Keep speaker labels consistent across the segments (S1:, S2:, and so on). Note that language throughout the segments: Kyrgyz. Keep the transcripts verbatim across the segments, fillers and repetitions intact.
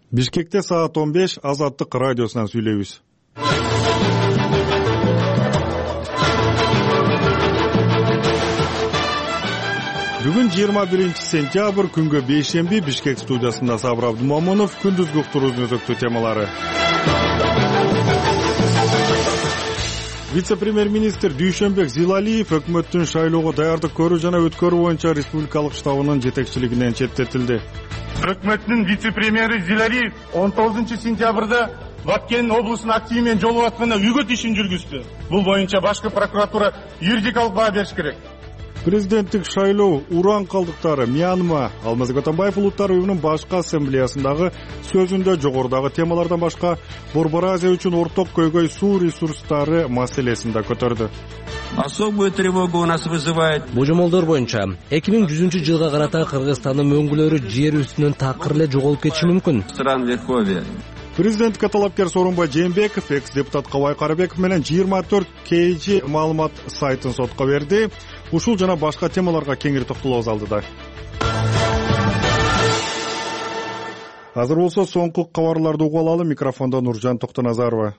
S1: Бишкекте саат он беш Азаттык радиосунан сүйлөйбүз. Бүгүн жыйырма биринчи сентябрь, күнгө бейшемби. Бишкек студиясында Сабыр Абдумомунов. Күндүзгү уктуруубуздун өзөктүү темалары. Вице-премьер-министр Дүйшөнбек Зилалиев өкмөттүн шайлоого даярдык көрүү жана өткөрүү боюнча республикалык штабынын жетекчилигинен четтетилди.
S2: Өкмөттүн вице-премьери Зилалиев он тогузунчу сентябрда Баткен облусунун активи менен жолугуп атканда үгөт ишин жүргүздү. Бул боюнча башкы прокуратура юридикалык баа бериш керек.
S1: Президенттик шайлоо, уран калдыктары, Мьянма, Алмазбек Атамбаев улуттар уюмунун башкы ассамблеясындагы сөзүндө жогорудагы темалардан башка Борбор Азия үчүн орток көйгөй суу ресурстары маселесин да көтөрдү.
S3: Особую тревогу у нас вызывает.
S4: Божомолдор боюнча эки миң жүзүнчү жылга карата Кыргызстандын мөңгүлөрү жер үстүнөн такыр эле жоголуп кетиши мүмкүн.
S3: Стран Верховья.
S1: Президентке талапкер Сооронбай Жээнбеков экс-депутат Кабай Карабеков менен жыйырма төрт кей жи маалымат сайтын сотко берди. Ушул жана башка темаларга кеңири токтолобуз алдыда. Азыр болсо соңку кабарларды угуп алалы. Микрофондо Нуржан Токтоназарова.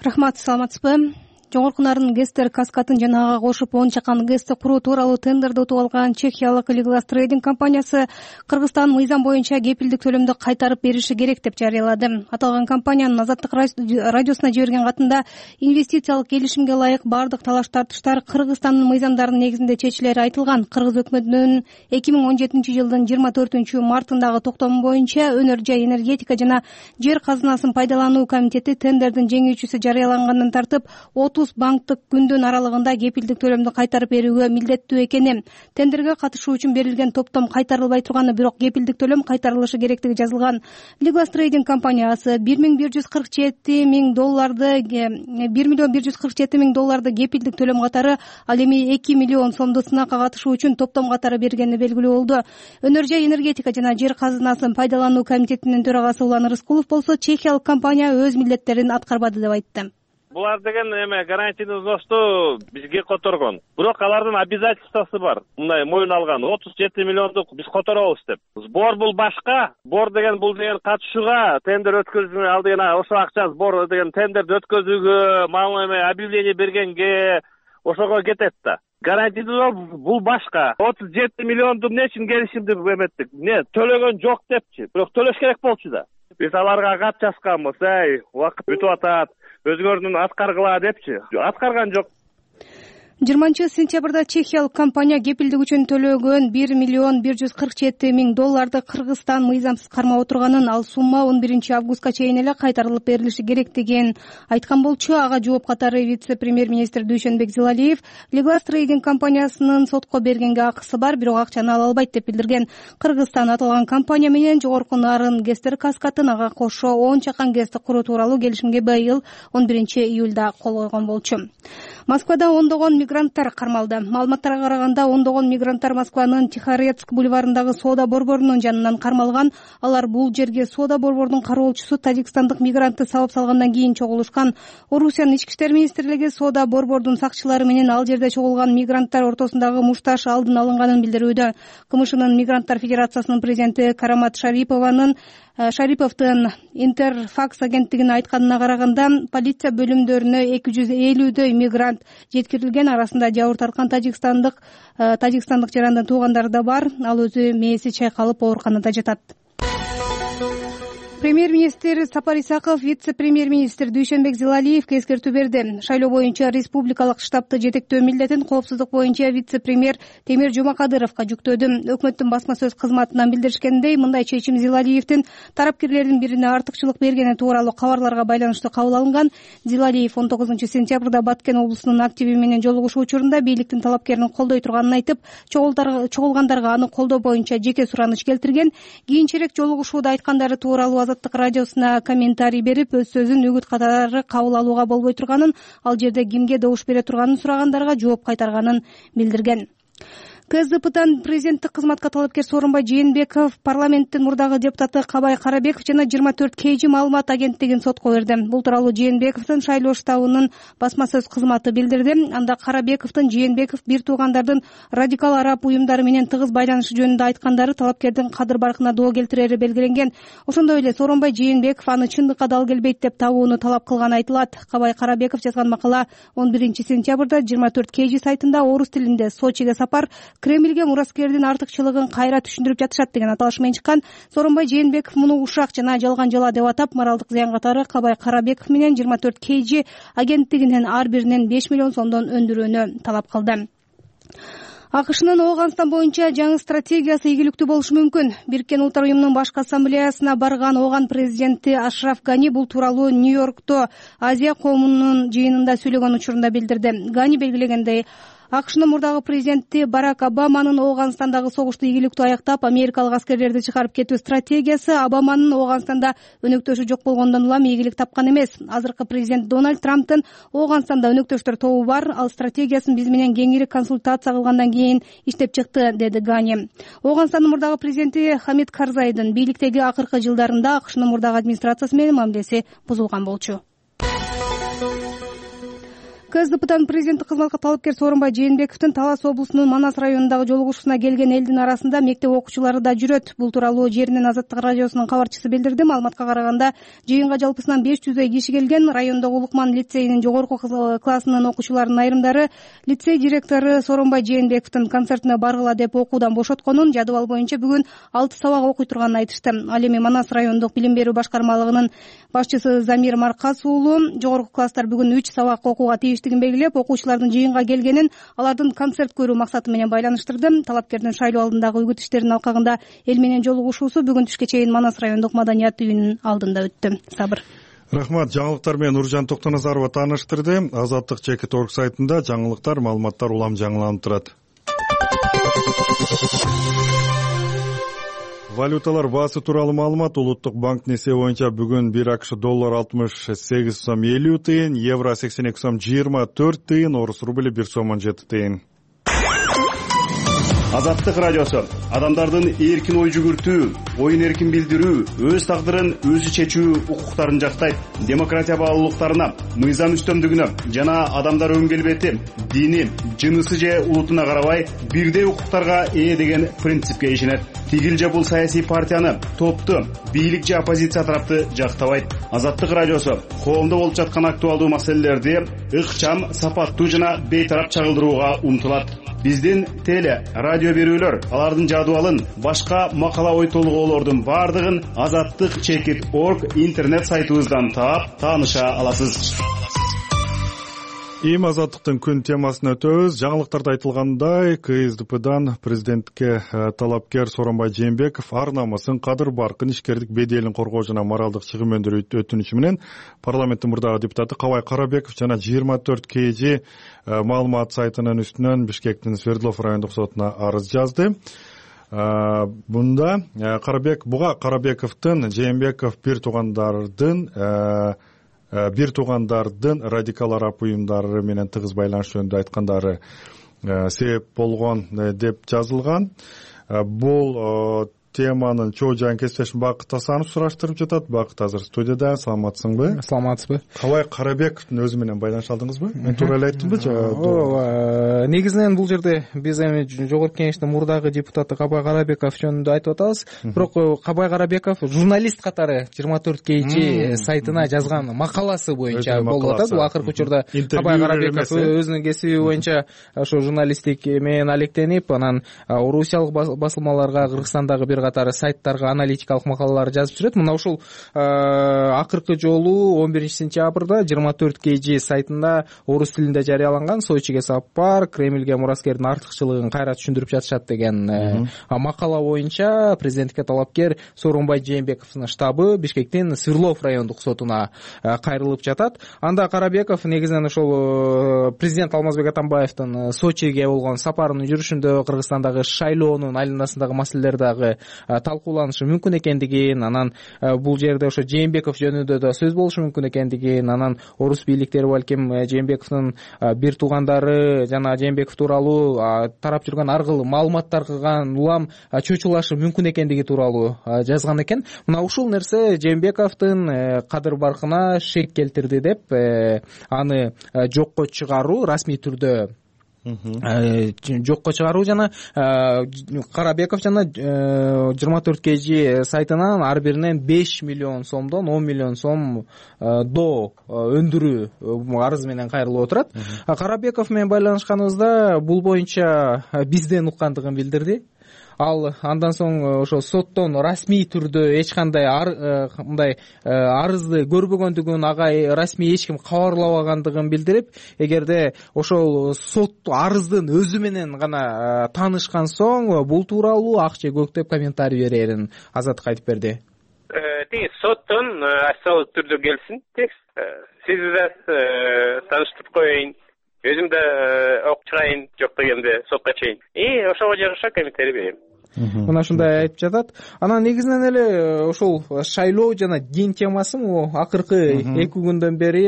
S5: Рахмат, саламатсызбы? Жогорку нарын ГЭСтер Каскатын жана ага кошуп он чакан ГЭСти куруу тууралуу тендерди утуп алган чехиялык Legal Trading компаниясы Кыргызстан мыйзам боюнча кепилдик төлөмдү кайтарып бериши керек деп жарыялады. Аталган компаниянын Азаттык радиосуна жиберген катында инвестициялык келишимге ылайык бардык талаш тартыштар Кыргызстандын мыйзамдарынын негизинде чечилери айтылган. Кыргыз өкмөтүнүн эки миң он жетинчи жылдын жыйырма төртүнчү мартындагы токтому боюнча өнөр жай энергетика жана жер казынасын пайдалануу комитети тендердин жеңүүчүсү жарыялангандан тартып отуз банктык күндүн аралыгында кепилдик төлөмдү кайтарып берүүгө милдеттүү экени, тендерге катышуу үчүн берилген топтом кайтарылбай турганы, бирок кепилдик төлөм кайтарылышы керектиги жазылган. Legal Trading компаниясы бир миң бир жүз кырк жети миң долларды бир миллион бир жүз кырк жети миң долларды кепилдик төлөм катары, ал эми эки миллион сомду сынакка катышуу үчүн топтом катары бергени белгилүү болду. Өнөр жай энергетика жана жер казынасын пайдалануу комитетинин төрагасы Улан Рыскулов болсо чехиялык компания өз милдеттерин аткарбады деп айтты.
S6: Булар деген эме гарантийный взносту бизге которгон. Бирок алардын обязательствосу бар. Мындай моюн алган отуз жети миллиондук биз которобуз деп. Сбор бул башка. Сбор деген бул деген катышууга, тендер өткөзүүгө, ал деген ошо акча сбор деген тендерди өткөзүүгө, мага эме объявление бергенге ошого кетет да. Гарантийный бул башка. отуз жети миллионду эмне үчүн келишимди эметтик? Не, төлөгөн жок депчи. Бирок төлөш керек болчу да. Биз аларга кат жазганбыз, эй, убакыт өтүп атат. Өзгөрдүн аткаргыла депчи. Аткарган жок.
S5: жыйырманчы сентябрда чехиялык компания кепилдик үчүн төлөгөн бир миллион бир жүз кырк жети миң долларды Кыргызстан мыйзамсыз кармап отурганын, ал сумма он биринчи августка чейин эле кайтарылып берилиши керектигин айткан болчу. Ага жооп катары вице-премьер-министр Дүйшөнбек Зилалиев Legal Trading компаниясынын сотко бергенге акысы бар, бирок акчаны ала албайт деп билдирген. Кыргызстан аталган компания менен жогорку нарын ГЭСтер Каскатын ага кошо он чакан ГЭСти куруу тууралуу келишимге быйыл он биринчи июлда кол койгон болчу. Москвада ондогон мигранттар кармалды. Маалыматтарга караганда ондогон мигранттар Москванын Тихорецк бульварындагы соода борборунун жанынан кармалган. Алар бул жерге соода борборунун кароолчусу тажикстандык мигрантты салып салгандан кийин чогулушкан. Орусиянын ички иштер министрлиги соода борборунун сакчылары менен ал жерде чогулган мигранттар ортосундагы мушташ алдын алынганын билдирүүдө. КМШнын Мигранттар федерациясынын президенти Карамат Шарипованын Шариповдун Интерфакс агенттигине айтканына караганда, полиция бөлүмдөрүнө эки жүз элүүдөй мигрант жеткирилген. Арасында жабыр тарткан тажикстандык тажикстандык жарандын туугандары да бар. Ал өзү мээси чайкалып ооруканада жатат. Премьер-министр Сапар Исаков вице-премьер-министр Дүйшөнбек Зилалиевге эскертүү берди. Шайлоо боюнча республикалык штабты жетектөө милдетин коопсуздук боюнча вице-премьер Темир Жумакадыровго жүктөдү. Өкмөттүн басма сөз кызматынан билдиришкендей, мындай чечим Зилалиевдин тарапкерлердин бирине артыкчылык бергени тууралуу кабарларга байланыштуу кабыл алынган. Зилалиев он тогузунчу сентябрда Баткен облусунун активи менен жолугушуу учурунда бийликтин талапкерин колдой турганын айтып, чогулгандарга аны колдоо боюнча жеке сураныч келтирген. Кийинчерээк жолугушууда айткандары тууралуу Азаттык радиосуна комментарий берип, өз сөзүн үгүт катары кабыл алууга болбой турганын, ал жерде кимге добуш бере турганын сурагандарга жооп кайтарганын билдирген. КСДПдан президенттик кызматка талапкер Сооронбай Жээнбеков, парламенттин мурдагы депутаты Кабай Карабеков жана жыйырма төрт кей жи маалымат агенттигин сотко берди. Бул тууралуу Жээнбековдун шайлоо штабынын басма сөз кызматы билдирди. Анда Карабековдун Жээнбеков бир туугандардын радикал араб уюмдары менен тыгыз байланышы жөнүндө айткандары талапкердин кадыр баркына доо келтирери белгиленген. Ошондой эле Сооронбай Жээнбеков аны чындыкка дал келбейт деп табууну талап кылганы айтылат. Кабай Карабеков жазган макала он биринчи сентябрда жыйырма төрт кей жи сайтында орус тилинде Сочиге сапар Кремльге мураскердин артыкчылыгын кайра түшүндүрүп жатышат деген аталыш менен чыккан. Сооронбай Жээнбеков муну ушак жана жалган жала деп атап, моралдык зыян катары Кабай Карабеков менен жыйырма төрт кей жи агенттигинин ар биринен беш миллион сомдон өндүрүүнү талап кылды. АКШнын Ооганстан боюнча жаңы стратегиясы ийгиликтүү болушу мүмкүн. Бириккен Улуттар уюмунун башкы ассамблеясына барган Ооган президенти Ашраф Гани бул тууралуу Нью-Йоркто Азия коомунун жыйынында сүйлөгөн учурунда билдирди. Гани белгилегендей, АКШнын мурдагы президенти Барак Обаманын Ооганстандагы согушту ийгиликтүү аяктап, америкалык аскерлерди чыгарып кетүү стратегиясы Обаманын Ооганстанда өнөктөшү жок болгондон улам ийгилик тапкан эмес. Азыркы президент Дональд Трамптын Ооганстанда өнөктөштөр тобу бар. Ал стратегиясын биз менен кеңири консультация кылгандан кийин иштеп чыкты, деди Гани. Ооганстандын мурдагы президенти Хамид Карзайдын бийликтеги акыркы жылдарында АКШнын мурдагы администрациясы менен мамилеси бузулган болчу. КСДПдан президенттик кызматка талапкер Сооронбай Жээнбековдун Талас облусунун Манас районундагы жолугушууна келген элдин арасында мектеп окуучулары да жүрөт. Бул тууралуу Жеринен Азаттык радиосунун кабарчысы билдирди. Маалыматка караганда, жыйынга жалпысынан беш жүздөй киши келген. Райондогу Улукман лицейинин жогорку классынын окуучуларынын айрымдары лицей директору Сооронбай Жээнбековдун концертине баргыла деп окуудан бошотконун, жадыбал боюнча бүгүн алты сабак окуй турганын айтышты. Ал эми Манас райондук билим берүү башкармалыгынын башчысы Замир Маркас уулу жогорку класстар бүгүн үч сабак окууга тийиштигин белгилеп, окуучулардын жыйынга келгенин алардын концерт көрүү максаты менен байланыштырды. Талапкердин шайлоо алдындагы үгүт иштеринин алкагында эл менен жолугушуусу бүгүн түшкө чейин Манас райондук маданият үйүнүн алдында өттү. Сабыр.
S1: Рахмат. Жаңылыктар менен Нуржан Токтоназарова тааныштырды. Азаттык чекит орг сайтында жаңылыктар, маалыматтар улам жаңыланып турат. Валюталар баасы тууралуу маалымат. Улуттук банктын эсеби боюнча бүгүн бир АКШ доллар алтымыш сегиз сом элүү тыйын, евро сексен эки сом жыйырма төрт тыйын, орус рубли бир сом он жети тыйын.
S7: Азаттык радиосу адамдардын эркин ой жүгүртүү, оюн эркин билдирүү, өз тагдырын өзү чечүү укуктарын жактайт. Демократия баалуулуктарына, мыйзам үстөмдүгүнө жана адамдар өн келбети, дини, жынысы же улутуна карабай бирдей укуктарга ээ деген принципке ишенет. Тигил же бул саясий партияны, топту, бийлик же оппозиция тарапты жактабайт. Азаттык радиосу коомдо болуп жаткан актуалдуу маселелерди ыкчам, сапаттуу жана бейтарап чагылдырууга умтулат. Биздин теле, радио берүүлөр, алардын жадыбалын, башка макала ой толгоолордун бардыгын азаттык чекит орг интернет сайтыбыздан таап, тааныша аласыз.
S1: Эми азаттыктын күн темасына өтөбүз. Жаңылыктарда айтылгандай, КСДПдан президентке талапкер Сооронбай Жээнбеков ар намысын, кадыр баркын, ишкердик беделин коргоо жана моралдык чыгым өндүрүү өтүнүчү менен парламенттин мурдагы депутаты Кабай Карабеков жана жыйырма төрт кей жи маалымат сайтынын үстүнөн Бишкектин Свердлов райондук сотуна арыз жазды. Бунда Карабек буга Карабековдун Жээнбеков бир туугандардын бир туугандардын радикал араб уюмдары менен тыгыз байланыш жөнүндө айткандары себеп болгон деп жазылган. Бул теманын чоо жайын кесиптешим Бакыт Асанов сураштырып жатат. Бакыт азыр студияда. Саламатсыңбы?
S8: Саламатсызбы?
S1: Кабай Карабековдун өзү менен байланыша алдыңызбы? Мен туура эле айттымбы?
S8: Ооба. Негизинен бул жерде биз эми жогорку кеңештин мурдагы депутаты Кабай Карабеков жөнүндө айтып атабыз. Бирок Кабай Карабеков журналист катары жыйырма төрт кей жи сайтына жазган макаласы боюнча болуп атат. Бул акыркы учурда Кабай Карабеков өзүнүн кесиби боюнча ошо журналисттик менен алектенип, анан орусиялык басылмаларга, Кыргызстандагы бир катары сайттарга аналитикалык макалалар жазып жүрөт. Мына ушул акыркы жолу он биринчи сентябрда жыйырма төрт кей жи сайтында орус тилинде жарыяланган Сочиге сапар, Кремльге мураскердин артыкчылыгын кайра түшүндүрүп жатышат деген макала боюнча президентке талапкер Сооронбай Жээнбековдун штабы Бишкектин Свердлов райондук сотуна кайрылып жатат. Анда Карабеков негизинен ошол президент Алмазбек Атамбаевдин Сочиге болгон сапарынын жүрүшүндө Кыргызстандагы шайлоонун айланасындагы маселелер дагы талкууланышы мүмкүн экендигин, анан бул жерде ошо Жээнбеков жөнүндө да сөз болушу мүмкүн экендигин, анан орус бийликтери балким Жээнбековдун бир туугандары жана Жээнбеков тууралуу тарап жүргөн ар кыл маалыматтар кылган улам чочулашы мүмкүн экендиги тууралуу жазган экен. Мына ушул нерсе Жээнбековдун кадыр баркына шек келтирди деп аны жокко чыгаруу, расмий түрдө жокко чыгаруу жана Карабеков жана жыйырма төрт кей жи сайтынан ар биринен беш миллион сомдон он миллион сом до өндүрүү арыз менен кайрылып отурат. Карабеков менен байланышканыбызда бул боюнча бизден уккандыгын билдирди. Ал андан соң ошо соттон расмий түрдө эч кандай мындай арызды көрбөгөндүгүн, ага расмий эч ким кабарлабагандыгын билдирип, эгерде ошол сот арыздын өзү менен гана таанышкан соң бул тууралуу ак же көк деп комментарий берерин Азаттыкка айтып берди.
S9: Тиги соттон официалдуу түрдө келсин текст. Сизди да тааныштырып коеюн. Өзүм да окуп чыгайын, жок дегенде сотко чейин. И ошого жараша комментарий берем.
S8: Мына ушундай айтып жатат. Анан негизинен эле ошол шайлоо жана дин темасы могу акыркы эки күндөн бери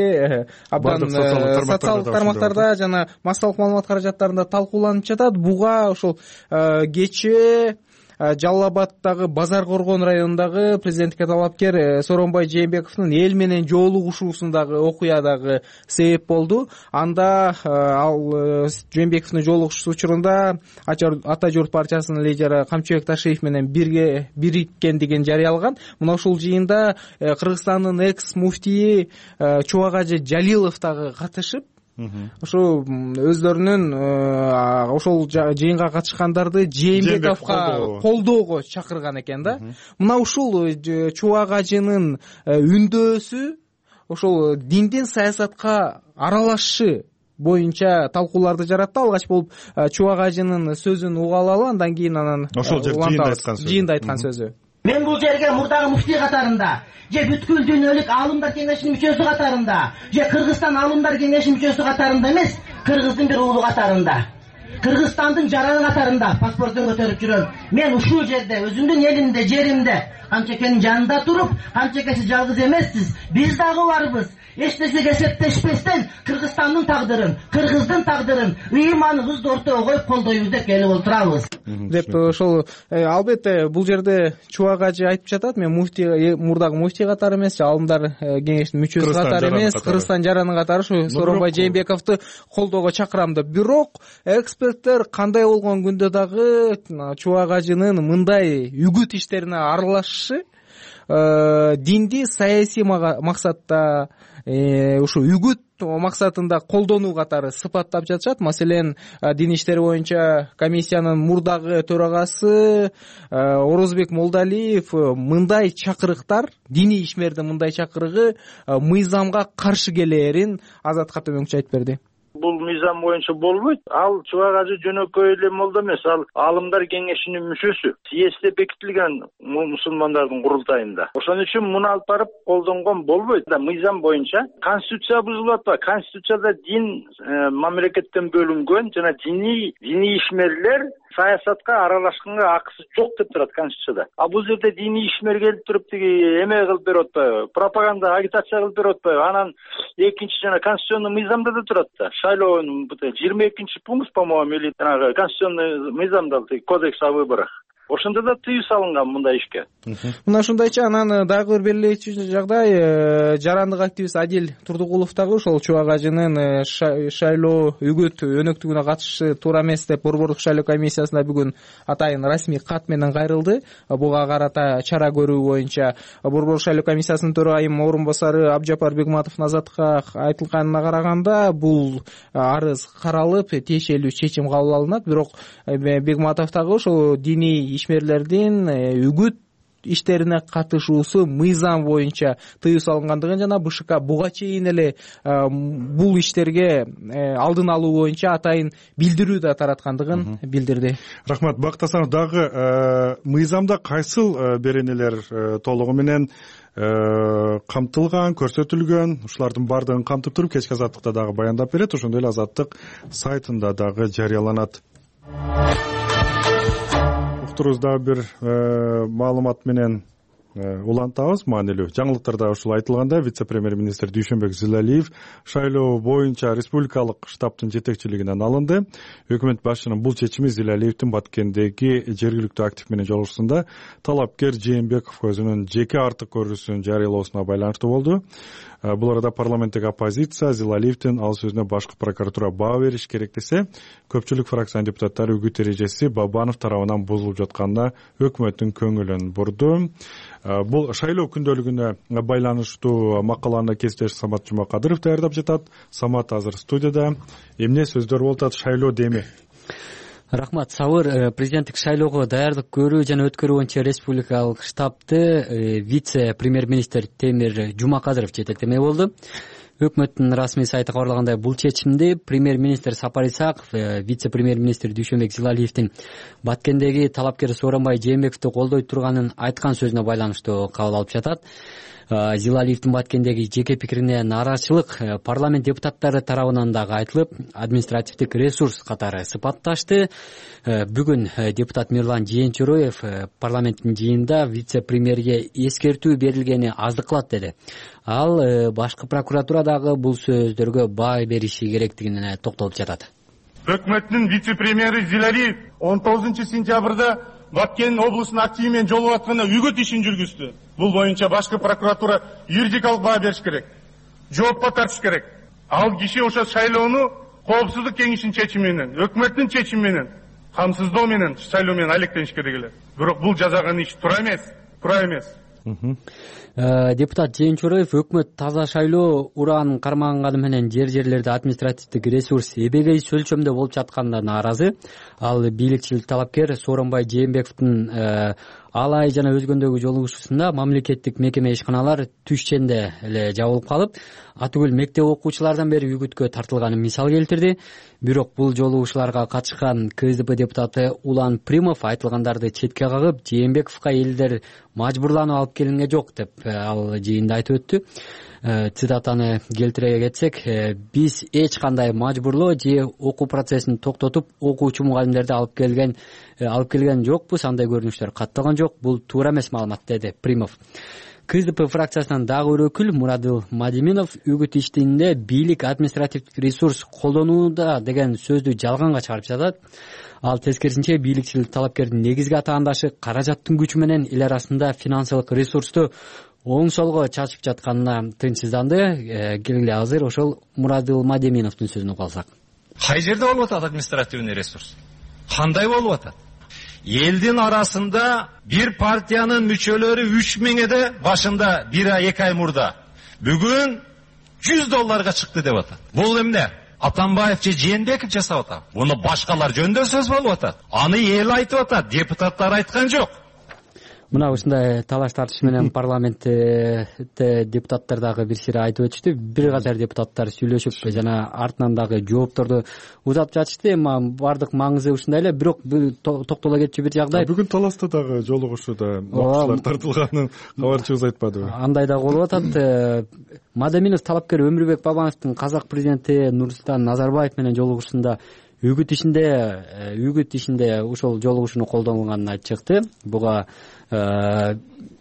S8: абдан социалдык тармактарда жана массалык маалымат каражаттарында талкууланып жатат. Буга ошол кечээ Жалал Абаддагы Базар Коргон районундагы президенттикке талапкер Сооронбай Жээнбековдун эл менен жолугушуусундагы окуя дагы себеп болду. Анда ал Жээнбековдун жолугушуусу учурунда Ата журт партиясынын лидери Камчыбек Ташиев менен бирге бириккендигин жарыялаган. Мына ушул жыйында Кыргызстандын экс муфтийи Чубак-Ажы Жалилов дагы катышып, ошо өздөрүнүн ошол жыйынга катышкандарды Жээнбековго колдоого чакырган экен да. Мына ушул Чубак-Ажынын үндөсү ошол диндин саясатка аралашышы боюнча талкууларды жаратты. Алгач болуп Чубак-Ажынын сөзүн уга алалы, андан кийин анан
S1: ошол жыйында
S8: айткан сөзү.
S10: Мен бул жерге мурдагы муфтий катарында, же бүткүл дүйнөлүк аалымдар кеңешинин мүчөсү катарында, же Кыргызстан аалымдар кеңешинин мүчөсү катарында эмес, Кыргыздын бир уулу катарында, Кыргызстандын жараны катарында паспортун көтөрүп жүрөм. Мен ушул жерде өзүмдүн элимде, жеримде Камчекенин жанында туруп, Камчекеси жалгыз эмессиз, биз дагы барбыз. Эч нерсеге эсептешпестен Кыргызстандын тагдырын, Кыргыздын тагдырын ыйманыбызды ортого коюп колдойбуз деп келип отурабыз
S8: деп ошол албетте бул жерде Чубак-Ажы айтып жатат. Мен муфтий, мурдагы муфтий катары эмес, аалымдар кеңешинин мүчөсү катары эмес, Кыргызстан жараны катары ушу Сооронбай Жээнбековду колдоого чакырам деп. Бирок эксперттер кандай болгон күндө дагы Чубак-Ажынын мындай үгүт иштерине аралашышы динди саясий максатта ушу үгүт максатында колдонуу катары сыпаттап жатышат. Маселен, дин иштери боюнча комиссиянын мурдагы төрагасы Орозбек Молдалиев мындай чакырыктар, диний ишмердин мындай чакырыгы мыйзамга каршы келээрин Азатка төмөнкүчө айтып берди.
S11: Бул мыйзам боюнча болбойт. Ал Чубак-Ажы жөнөкөй эле молда эмес, ал аалымдар кеңешинин мүчөсү, съездде бекитилген мусулмандардын курултайында. Ошон үчүн муну алып барып колдонгон болбойт. Мыйзам боюнча конституция бузулуп атпайбы? Конституцияда дин мамлекеттен бөлүнгөн жана диний диний ишмерлер саясатка аралашканга акысы жок деп турат Конституцияда. А бул жерде диний ишмер келип туруп тиги эме кылып берип атпайбы? Пропаганда, агитация кылып берип атпайбы? Анан экинчи жана конституционный мыйзамда да турат да. Шайлоонун жыйырма экинчи пункт, по-моему, или конституционный мыйзамда, кодекс о выборах. Ошондо да тыюу салынган мындай ишке.
S8: Мына ушундайча анан дагы бир белгилечү жагдай, жарандык активист Адил Турдугулов дагы ошол Чубак-Ажынын шайлоо үгүт өнөктүгүнө катышышы туура эмес деп Борбордук шайлоо комиссиясына бүгүн атайын расмий кат менен кайрылды. Буга карата чара көрүү боюнча Борбордук шайлоо комиссиясынын төрайым орун басары Абжапар Бегматовдун Азаттыкка айтылганына караганда, бул арыз каралып, тиешелүү чечим кабыл алынат. Бирок Бегматов дагы ошол диний ишмерлердин үгүт иштерине катышуусу мыйзам боюнча тыюу салынгандыгын жана БШК буга чейин эле бул иштерге алдын алуу боюнча атайын билдирүү да тараткандыгын билдирди.
S1: Рахмат. Бакыт Асанов, дагы мыйзамда кайсыл беренелер толугу менен камтылган, көрсөтүлгөн, ушулардын баардыгын камтып туруп кечки Азаттыкта дагы баяндап берет. Ошондой эле Азаттык сайтында дагы жарыяланат. уктурубузда бир маалымат менен улантабыз. Маанилүү жаңылыктарда ушул айтылгандай, вице-премьер-министр Дүйшөнбек Зилалиев шайлоо боюнча республикалык штабтын жетекчилигинен алынды. Өкмөт башчынын бул чечими Зилалиевдин Баткендеги жергиликтүү актив менен жолугушуусунда талапкер Жээнбеков өзүнүн жеке артык көрүүсүн жарыялоосуна байланыштуу болду. Бул арада парламенттик оппозиция Зилалиевдин ал сөзүнө башкы прокуратура баа бериш керек десе, көпчүлүк фракциянын депутаттары үгүт эрежеси Бабанов тарабынан бузулуп жатканына өкмөттүн көңүлүн бурду. Бул шайлоо күндөлүгүнө байланыштуу макаланы кесиптеш Самат Жумакадыров даярдап жатат. Самат азыр студияда. Эмне сөздөр болуп атат шайлоо деми?
S12: Рахмат, Сабыр. Президенттик шайлоого даярдык көрүү жана өткөрүү боюнча республикалык штабты вице-премьер-министр Темир Жумакадыров жетектемек болду. Өкмөттүн расмий сайты кабарлагандай, бул чечимди премьер-министр Сапар Исаков вице-премьер-министр Дүйшөнбек Зилалиевдин Баткендеги талапкер Сооронбай Жээнбековду колдой турганын айткан сөзүнө байланыштуу кабыл алып жатат. Зилалиевдин Баткендеги жеке пикирине нааразычылык парламент депутаттары тарабынан дагы айтылып, административдик ресурс катары сыпатташты. Бүгүн депутат Мирлан Жээнчороев парламенттин жыйынында вице-премьерге эскертүү берилгени аздык кылат деди. Ал башкы прокуратура дагы бул сөздөргө баа бериши керектигине токтолуп жатат.
S2: Өкмөттүн вице-премьери Зилалиев он тогузунчу сентябрда Баткен облусунун активи менен жолугуп атканда үгүт ишин жүргүздү. Бул боюнча башкы прокуратура юридикалык баа бериш керек. Жоопко тартыш керек. Ал киши ошо шайлоону коопсуздук кеңешинин чечими менен, өкмөттүн чечими менен, камсыздоо менен шайлоо менен алектениш керек эле. Бирок бул жасаган иш туура эмес, туура эмес.
S12: Депутат Жээнчороев өкмөт таза шайлоо ураанын карманганы менен жер жерлерде административдик ресурс эбегей өлчөмдө болуп жатканына нааразы. Ал бийликчил талапкер Сооронбай Жээнбековдун Алай жана өзгөндөгү жолугушуусунда мамлекеттик мекеме ишканалар түшченде эле жабылып калып, атүгүл мектеп окуучулардан бери үгүткө тартылганын мисал келтирди. Бирок бул жолугушууларга катышкан КСДП депутаты Улан Примов айтылгандарды четке кагып, Жээнбековго элдер мажбурланып алып келинген жок деп ал жыйында айтып өттү. Цитатаны келтире кетсек, биз эч кандай мажбурлоо же окуу процессин токтотуп, окуучу мугалимдерди алып келген алып келген жокпуз, андай көрүнүштөр катталган жок. Бул туура эмес маалымат, деди Примов. КСДП фракциясынан дагы бир өкүл Мурадыл Мадиминов үгүт иштинде бийлик административдик ресурс колдонууда деген сөздү жалганга чыгарып жатат. Ал тескерисинче бийликчил талапкердин негизги атаандашы каражаттын күчү менен эл арасында финансылык ресурсту оң солго чачып жатканына тынчсызданды. Келгиле азыр ошол Мурадыл Мадиминовдун сөзүн угуп алсак.
S13: Кай жерде болуп атат административный ресурс? Кандай болуп атат? Элдин арасында бир партиянын мүчөлөрү үч миңде башында бир ай эки ай мурда бүгүн жүз долларга чыкты деп атат. Бул эмне? Атамбаев же Жээнбеков жасап атат. Муну башкалар жөнүндө сөз болуп атат. Аны эл айтып атат, депутаттар айткан жок.
S12: Мына ушундай талаш тартыш менен парламентте депутаттар дагы бир сыйра айтып өтүштү. Бир катар депутаттар сүйлөшүп жана артынан дагы жоопторду узатып жатышты. Эми бардык маңызы ушундай эле, бирок токтоло кетчү бир жагдай.
S1: Бүгүн таласта дагы жолугушууда окуучулар тартылганын кабарчыбыз айтпадыбы?
S12: Андай да болуп атат. Мадаминов талапкер Өмүрбек Бабановдун казак президенти Нурсултан Назарбаев менен жолугушуусунда үгүт ишинде үгүт ишинде ушул жолугушууну колдонулганын чыкты. Буга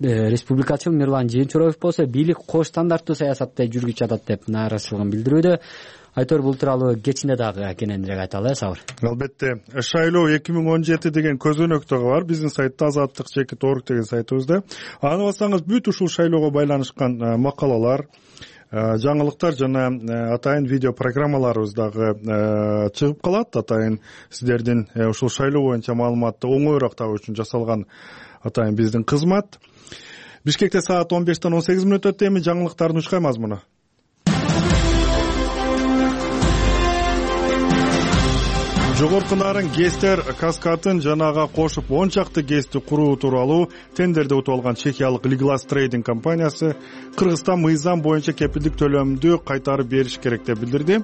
S12: республикачыл Мирлан Жээнчороев болсо бийлик кош стандарттуу саясатты жүргүзүп жатат деп нааразычылыгын билдирүүдө. Айтор бул тууралуу кечинде дагы кененирээк айталы, э, Сабыр.
S1: Албетте, шайлоо эки миң он жети деген көзөнөк дагы бар биздин сайтта, азаттык чекит орг деген сайтыбызда. Аны бассаңыз бүт ушул шайлоого байланышкан макалалар, жаңылыктар жана атайын видео программаларыбыз дагы чыгып калат. Атайын сиздердин ушул шайлоо боюнча маалыматты оңоюраак табуу үчүн жасалган атайын биздин кызмат. Бишкекте саат он бештен он сегиз мүнөт өттү. Эми жаңылыктардын учкай мазмуну. Жогорку нарын ГЭСтер каскатын жанага кошуп он чакты ГЭСти куруу тууралуу тендерди утуп алган чехиялык Liglas Trading компаниясы Кыргызстан мыйзам боюнча кепилдик төлөмдү кайтарып бериш керек деп билдирди.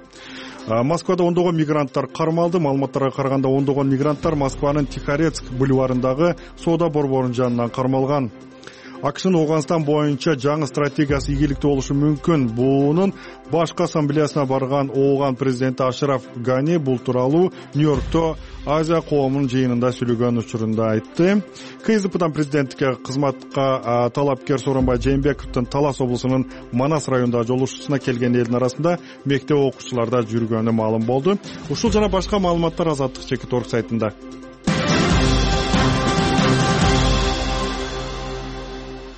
S1: Москвада ондогон мигранттар кармалды. Маалыматтарга караганда ондогон мигранттар Москванын Тихорецк бульварындагы соода борборунун жанынан кармалган. акшнын Ооганстан боюнча жаңы стратегиясы ийгиликтүү болушу мүмкүн. Бунун башкы ассамблеясына барган Ооган президенти Ашраф Гани бул тууралуу Нью-Йоркто Азия коомунун жыйынында сүйлөгөн учурунда айтты. КСДПдан президенттикке кызматка талапкер Сооронбай Жээнбековдун Талас облусунун Манас районундагы жолугушуусуна келген элдин арасында мектеп окуучуларда жүргөнү маалым болду. Ушул жана башка маалыматтар Азаттык чекит орг сайтында.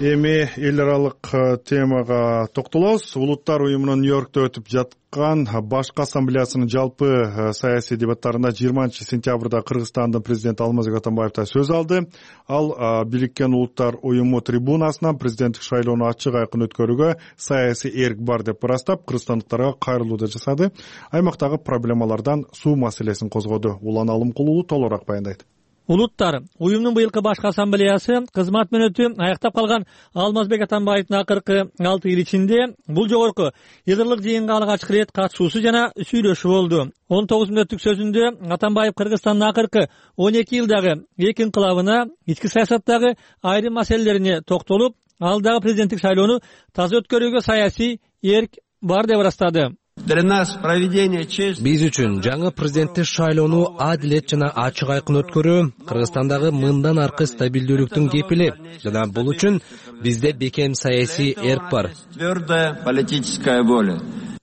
S1: Эми эл аралык темага токтолобуз. Улуттар уюмунун Нью-Йоркто өтүп жаткан башкы ассамблеясынын жалпы саясий дебаттарында жыйырманчы сентябрда Кыргызстандын президенти Алмазбек Атамбаев да сөз алды. Ал Бириккен Улуттар уюму трибунасынан президенттик шайлоону ачык айкын өткөрүүгө саясий эрк бар деп ырастап, кыргызстандыктарга кайрылуу да жасады. Аймактагы проблемалардан суу маселесин козгоду. Улан Алымкулуу толугураак баяндайт.
S14: Улуттар уюмунун быйылкы башкы ассамблеясы кызмат мөөнөтү аякта калган Алмазбек Атамбаевдин акыркы алты эл ичинде бул жогорку йыдырлык жыйынга алгачкы ирет катышуусу жана сүйлөшүү болду. он тогуз мүнөттүк сөзүндө Атамбаев Кыргызстандын акыркы он эки жылдагы эки инкылабына, ички саясаттагы айрым маселелерине токтолуп, алдагы президенттик шайлоону таза өткөрүүгө саясий эрк бар деп ырастады.
S4: Биз үчүн жаңы президенттик шайлоону адилет жана ачык айкын өткөрүү Кыргызстандагы мындан аркы стабилдүүлүктүн кепили жана бул үчүн бизде бекем саясий эрк бар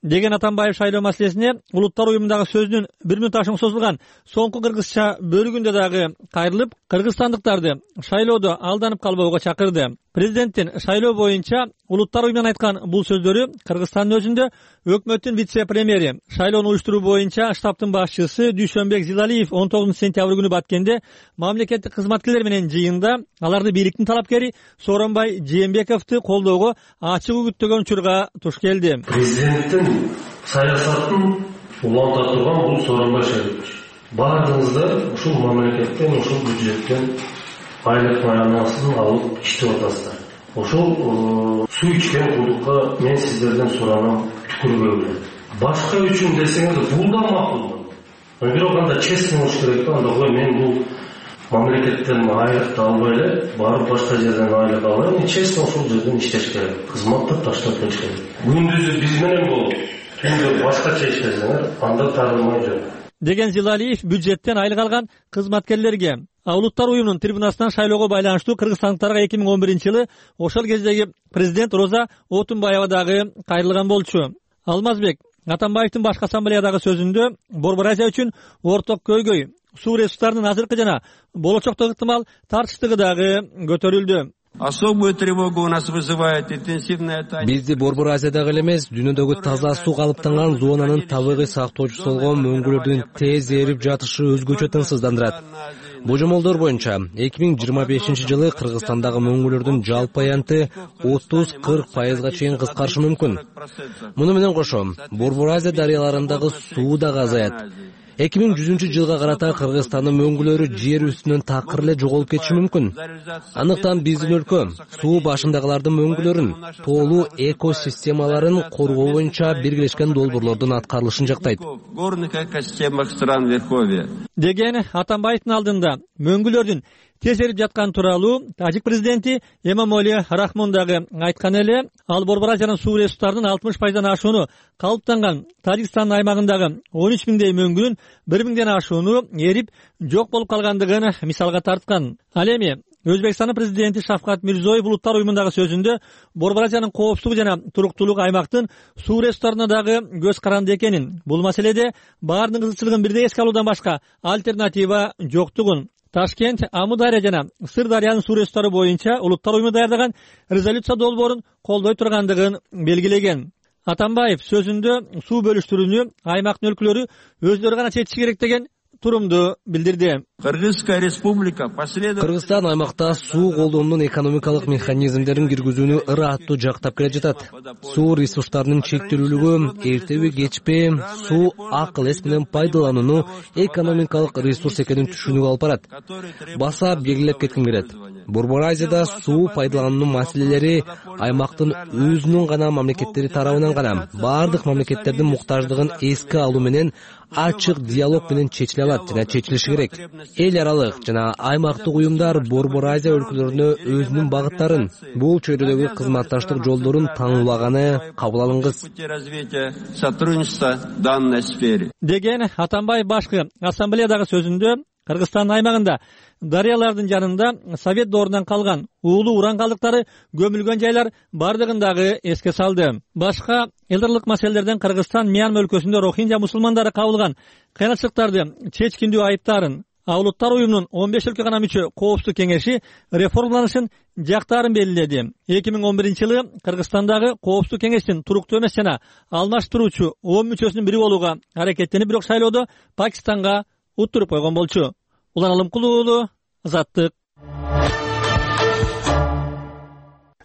S14: деген Атамбаев шайлоо маселесине улуттар уюмундагы сөзүнүн бир мүнөт ашуун созулган соңку кыргызча бөлүгүндө дагы кайрылып, кыргызстандыктарды шайлоодо алданып калбоого чакырды. Президенттин шайлоо боюнча улуттар уюмунан айткан бул сөздөрү Кыргызстандын өзүндө өкмөттүн вице-премьери, шайлоону уюштуруу боюнча штабтын башчысы Дүйшөнбек Зилалиев он тогузунчу сентябрь күнү Баткенде мамлекеттик кызматкерлер менен жыйында аларды бийликтин талапкери Сооронбай Жээнбековду колдоого ачык үгүттөгөн учурга туш келди.
S15: Президенттин саясатын уланта турган бул Сооронбай Жээнбекович. Баардыгыңыздар ушул мамлекеттен, ушул бюджеттен айлык маянасын алып иштеп атасыздар. Ошол суу ичкен кулдукка мен сиздерден суранам, түкүрбөңүздөр. Башка үчүн десеңиз бул да макул. Бирок анда честный болуш керек. Анда кой мен бул мамлекеттен айлыкты албай эле барып башка жерден айлык алайын, честный ошол жерден иштеш керек. Кызматты таштап кетиш керек. Күндүзү биз менен болуп, түндү башкача иштесеңер, анда тарылмай жок
S14: деген Зилалиев бюджеттен айлык алган кызматкерлерге улуттар уюмунун трибунасынан шайлоого байланыштуу кыргызстандыктарга эки миң он биринчи жылы ошол кездеги президент Роза Отунбаева дагы кайрылган болчу. Алмазбек Атамбаевдин башкы ассамблеядагы сөзүндө Борбор Азия үчүн орток көйгөй, суу ресурстарынын азыркы жана болочоктогу ыктымал тартыштыгы дагы көтөрүлдү.
S3: Особую тревогу у нас вызывает интенсивная тайна.
S4: Бизди Борбор Азиядагы эле эмес, дүйнөдөгү таза суу калыптанган зонанын табигый сактоочусу болгон мөңгүлөрдүн тез эрип жатышы өзгөчө тынчсыздандырат. Божомолдор боюнча эки миң жыйырма бешинчи жылы Кыргызстандагы мөңгүлөрдүн жалпы аянты отуз кырк пайызга чейин кыскарышы мүмкүн. Муну менен кошо Борбор Азия дарыяларындагы суу дагы азаят. эки миң жүзүнчү жылга карата Кыргызстандын мөңгүлөрү жер үстүнөн такыр эле жоголуп кетиши мүмкүн. Андыктан биздин өлкө суу башындагылардын мөңгүлөрүн, тоолуу экосистемаларын коргоо боюнча биргелешкен долбоорлордун аткарылышын жактайт.
S14: Деген Атамбаевдин алдында мөңгүлөрдүн тез эрип жаткан тууралуу Тажик президенти Эмомали Рахмон дагы айткан эле. Ал Борбор Азиянын суу ресурстарынын алтымыш пайыздан ашууну калыптанган Тажикстандын аймагындагы он үч миңдей мөңгүнүн бир миңден ашууну эрип жок болуп калгандыгын мисалга тарткан. Ал эми Өзбекстандын президенти Шавкат Мирзиёев улуттар уюмундагы сөзүндө Борбор Азиянын коопсуздугу жана туруктуулугу аймактын суу ресурстарына дагы көз каранды экенин, бул маселеде баардык кызыкчылыгын бирдей эске алуудан башка альтернатива жоктугун, Ташкент, Амудария жана Сырдарыянын суу ресурстары боюнча улуттар уюму даярдаган резолюция долбоорун колдой тургандыгын белгилеген. Атамбаев сөзүндө суу бөлүштүрүүнү аймактын өлкөлөрү өздөрү гана чечиши керек деген турумду билдирди.
S3: Кыргызская республика последовательно
S4: Кыргызстан аймакта суу колдоонун экономикалык механизмдерин киргизүүнү ыраттуу жактап келе жатат. Суу ресурстарынын чектелүүлүгү, эртеби кечпи суу акыл эс менен пайдаланууну экономикалык ресурс экенин түшүнүүгө алып барат. Баса белгилеп кетким келет. Борбор Азияда суу пайдалануу маселелери аймактын өзүнүн гана мамлекеттери тарабынан гана бардык мамлекеттердин муктаждыгын эске алуу менен ачык диалог менен чечиле алат жана чечилиши керек. Эл аралык жана аймактык уюмдар Борбор Азия өлкөлөрүнө өзүнүн багыттарын, бул чөйрөдөгү кызматташтык жолдорун таңуулаганы кабыл алынгыс
S14: деген Атамбаев башкы ассамблеядагы сөзүндө Кыргызстандын аймагында дарыялардын жанында Совет доорунан калган уулуу уран калдыктары көмүлгөн жайлар бардыгын дагы эске салды. Башка элдарлык маселелерден Кыргызстан Мьянма өлкөсүндө Рохинжа мусулмандары кабылган кыйынчылыктарды чечкиндүү айыптаарын Ал Улуттар уюмунун он беш өлкө гана мүчө Коопсуздук кеңеши реформаланышын жактаарын белгиледи. эки миң он биринчи жылы Кыргызстандагы Коопсуздук кеңештин туруктуу эмес жана алмаштыруучу он мүчөсүнүн бири болууга аракеттенип, бирок шайлоодо Пакистанга уттуруп койгон болчу. Улан Алымкулуу уулу, Азаттык.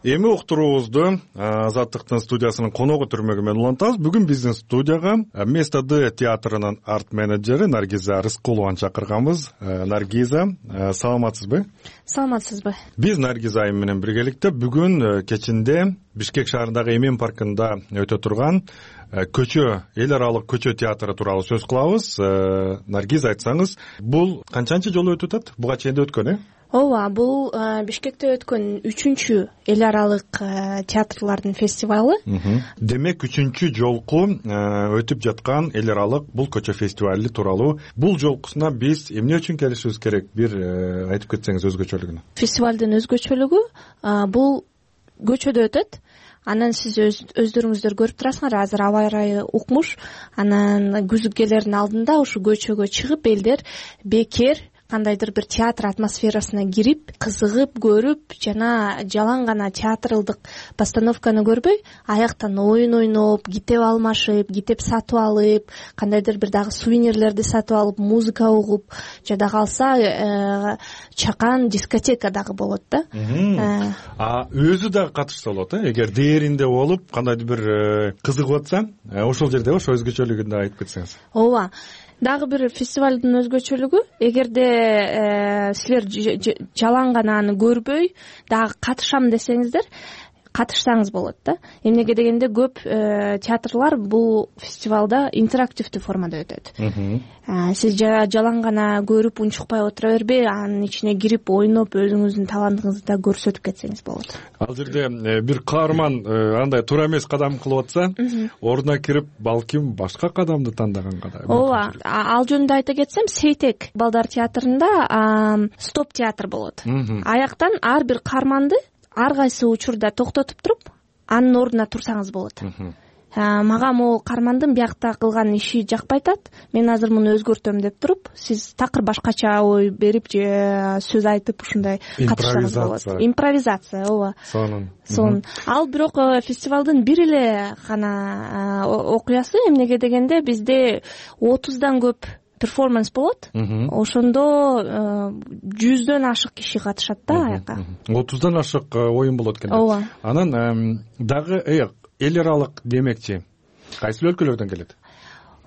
S1: Эми уктуруубузду Азаттыктын студиясынын коногу түрмөгү менен улантабыз. Бүгүн биздин студияга Место Д театрынын арт менеджери Наргиза Рыскулованы чакырганбыз. Наргиза, саламатсызбы?
S16: Саламатсызбы.
S1: Биз Наргиза айым менен биргеликте бүгүн кечинде Бишкек шаарындагы Эмен паркында өтө турган көчө, эл аралык көчө театры тууралуу сөз кылабыз. Наргиза, айтсаңыз, бул канчанчы жолу өтүп атат? Буга чейин өткөн, э?
S16: Ооба, бул Бишкекте өткөн үчүнчү эл аралык театрлардын фестивалы.
S1: Демек, үчүнчү жолку өтүп жаткан эл аралык бул көчө фестивали тууралуу. Бул жолкусуна биз эмне үчүн келишибиз керек? Бир айтып кетсеңиз өзгөчөлүгүн.
S16: Фестивалдын өзгөчөлүгү бул көчөдө өтөт. Анан сиз өздөрүңүздөр көрүп турасыңар, азыр аба ырайы укмуш. Анан күзгүлөрдүн алдында ушу көчөгө чыгып элдер бекер кандайдыр бир театр атмосферасына кирип, кызыгып көрүп, жана жалаң гана театралдык постановканы көрбөй, аяктан оюн ойноп, китеп алмашып, китеп сатып алып, кандайдыр бир дагы сувенирлерди сатып алып, музыка угуп, жада калса чакан дискотека дагы болот да.
S1: А өзү дагы катышса болот, э? Эгер дээринде болуп, кандайдыр бир кызыгып атса, ошол жерде ошо өзгөчөлүгүн да айтып кетсеңиз.
S16: Ооба. Дагы бир фестивалдын өзгөчөлүгү, эгерде силер жалаң гана аны көрбөй, дагы катышам десеңиздер, катышсаңыз болот да. Эмнеге дегенде көп театрлар бул фестивалда интерактивдүү формада өтөт. Сиз жалаң гана көрүп унчукпай отура бербей, анын ичине кирип ойноп, өзүңүздүн талантыңызды да көрсөтүп кетсеңиз болот.
S1: Ал жерде бир каарман андай туура эмес кадам кылып атса, ордуна кирип, балким башка кадамды тандаганга да.
S16: Ооба, ал жөнүндө айта кетсем, Сейтек балдар театрында стоп театр болот. Аяктан ар бир каарманды ар кайсы учурда токтотуп туруп, анын ордуна турсаңыз болот. Мага могул каармандын биякта кылган иши жакпай атат. Мен азыр муну өзгөртөм деп туруп, сиз такыр башкача ой берип же сөз айтып ушундай катышсаңыз болот. Импровизация, ооба.
S1: Сонун.
S16: Сонун. Ал бирок фестивалдын бир эле гана окуясы, эмнеге дегенде бизде отуздан көп перформанс болот. Ошондо жүздөн ашык киши катышат да аяка.
S1: отуздан ашык оюн болот экен.
S16: Ооба.
S1: Анан дагы эл аралык демекчи, кайсы өлкөлөрдөн келет?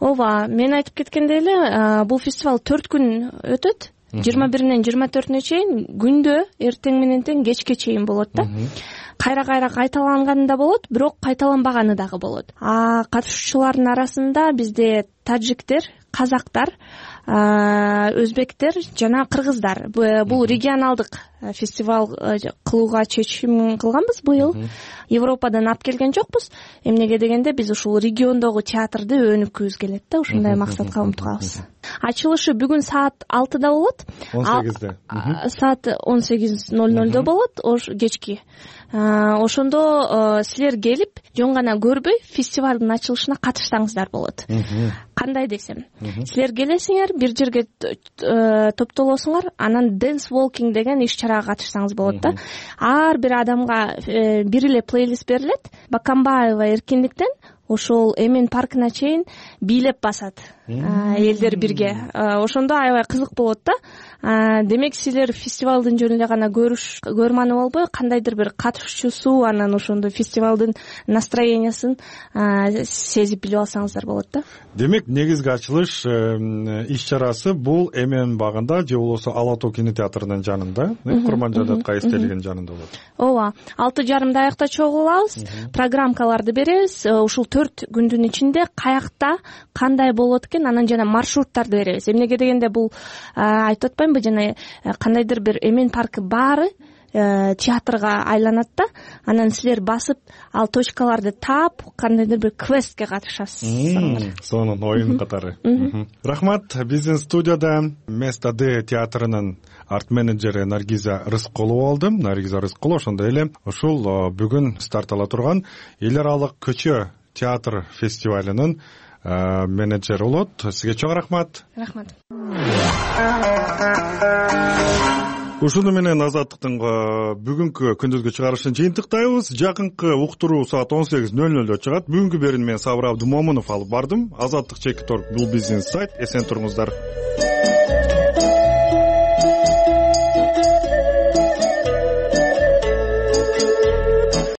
S16: Ооба, мен айтып кеткендей эле, бул фестиваль төрт күн өтөт. жыйырма биринен жыйырма төртүнө чейин күндө эртең менен тең кечке чейин болот да. Кайра-кайра кайталанганы да болот, бирок кайталанбаганы дагы болот. А катышуучулардын арасында бизде таджиктер, казактар, өзбектер жана кыргыздар. Бул регионалдык фестиваль кылууга чечим кылганбыз быйыл. Европадан алып келген жокпуз. Эмнеге дегенде биз ушул региондогу театрды өнүккүбүз келет да, ушундай максатка умтулабыз. Ачылышы бүгүн саат алтыда болот.
S1: он сегизде.
S16: Саат он сегиз ноль нольдо болот, кечки. Ошондо силер келип, жөн гана көрбөй, фестивалдын ачылышына катышсаңыздар болот. Кандай десем, силер келесиңер, бир жерге топтолосуңар, анан dance walking деген иш-чарага катышсаңыз болот да. Ар бир адамга бир эле плейлист берилет. Бакамбаева Эркиндиктен ошол эмен паркына чейин бийлеп басат элдер бирге. Ошондо аябай кызык болот да. Демек силер фестивалдын жөн эле гана көрүш көрманы болбой, кандайдыр бир катышуучусу анан ошондо фестивалдын настроениясын сезип билип алсаңыздар болот да.
S1: Демек негизги ачылыш иш чарасы бул Эмен багында же болбосо Ала тоо кинотеатрынын жанында, Курманжайдатка эстелигин жанында болот.
S16: Ооба, алты жарымда аякта чогулабыз, программаларды беребиз. Ушул төрт күндүн ичинде каякта кандай болот экен, анан жана маршруттарды беребиз. Эмнеге дегенде бул айтып атпаймынбы, жана кандайдыр бир Эмен паркы баары театрга айланат да, анан силер басып ал точкаларды таап кандайдыр бир квестке катышасыз.
S1: Сонун оюн катары. Рахмат. Биздин студияда Место Д театрынын арт менеджери Наргиза Рыскулова болду. Наргиза Рыскулова ошондой эле ушул бүгүн старт ала турган эл аралык көчө театр фестивалынын менеджери болот. Сизге чоң рахмат.
S16: Рахмат.
S1: Ушуну менен Азаттыктын бүгүнкү күндүзгү чыгарылышын жыйынтыктайбыз. Жакынкы уктуруу саат он сегиз нөл нөлдө чыгат. Бүгүнкү берүүнү мен Сабыр Абдымомунов алып бардым. Азаттык чекит орг бул биздин сайт. Эсен туруңуздар.